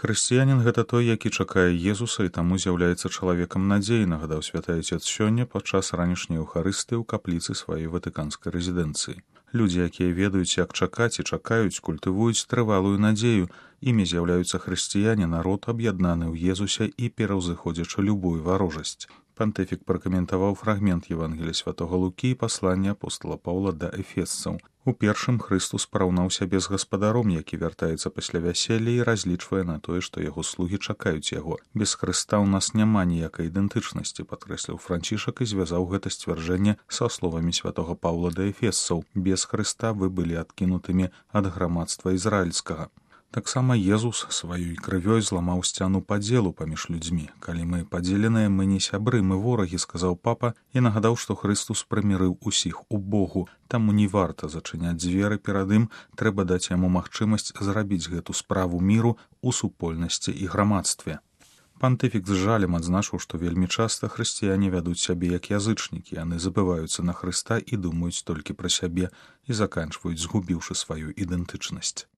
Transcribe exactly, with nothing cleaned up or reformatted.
Хрысціянін гэта той, які чакае Езуса і таму з'яўляецца чалавекам надзеі, нагадаў святы Айцец сёння падчас ранішняй эўхарыстыі ў капліцы сваёй ватыканскай рэзідэнцыі. Людзі, якія ведаюць, як чакаць і чакаюць, культывуюць трывалую надзею. Імі з'яўляюцца хрысціяне, народ, аб'яднаны ў Езусе і пераўзыходзячы любую варожасць. Пантыфік пракаментаваў фрагмент Евангелія святога Лукі і паслання апостала Паўла да эфесцаў. У першым Хрыстус параўнаў сябе з гаспадаром, які вяртаецца пасля вяселля і разлічвае на тое, што яго слугі чакаюць яго. Без Хрыста ў нас няма ніякай ідэнтычнасці, падкрэсліў Францішак і звязаў гэта сцвярджэнне са словамі святога Паўла да эфесцаў. Без Хрыста вы былі адкінутымі ад грамадства ізраільскага. Таксама Езус сваёй крывёй зламаў сцяну падзелу паміж людзьмі. Калі мы падзеленыя, мы не сябры, мы ворагі, сказаў папа і нагадаў, што Хрыстус прымірыў усіх у Богу. Таму не варта зачыняць дзверы перад ім, трэба даць яму магчымасць зрабіць гэту справу міру ў супольнасці і грамадстве. Пантыфік з жалем адзначыў, што вельмі часта хрысціяне вядуць сябе як язычнікі, яны забываюцца на Хрыста і думаюць толькі пра сябе і заканчваюць, згубіўшы сваю ідэнтычнасць.